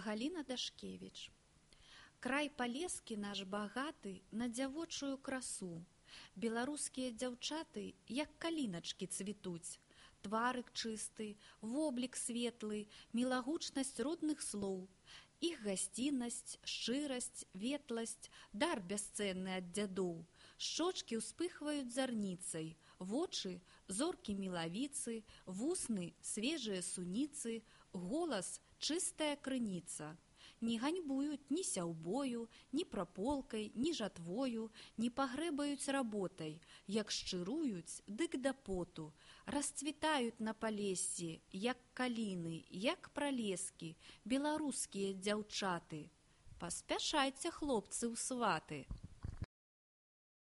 Галіна Дашкевіч. Край палескі наш багаты на дзявочую красу. Беларускія дзяўчаты, як каліначкі, цвітуць. Тварык чысты, воблік светлы, мілагучнасць родных слоў. Іх гасціннасць, шчырасць, ветласць, дар бясцэнны ад дзядоў. Шчочкі ўспыхваюць зарніцай, вочы – зоркі мілавіцы, вусны – свежыя суніцы, голас – чыстая крыніца. Не ганьбуюць ні сяўбою, ні праполкай, ні жатвою, не пагрэбаюць работай, як шчыруюць, дык да поту, расцвітаюць на палессі, як каліны, як пралескі, беларускія дзяўчаты. Паспяшайце, хлопцы ў сваты!